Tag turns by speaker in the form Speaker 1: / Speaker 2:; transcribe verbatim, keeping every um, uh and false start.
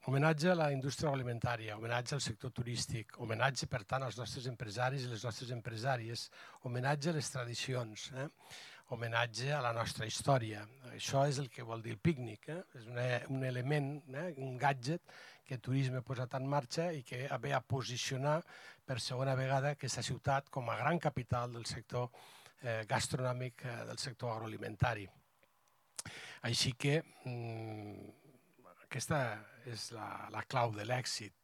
Speaker 1: Homenatge a la indústria agroalimentària, homenatge al sector turístic, homenatge, per tant, als nostres empresaris i les nostres empresàries, homenatge a les tradicions, eh? Homenatge a la nostra història. Això és el que vol dir el pícnic. Eh? És una, un element, eh? un gadget que el turisme ha posat en marxa i que ve a posicionar per segona vegada aquesta ciutat com a gran capital del sector eh, gastronòmic, eh, del sector agroalimentari. Així que mmm, aquesta és la, la clau de l'èxit.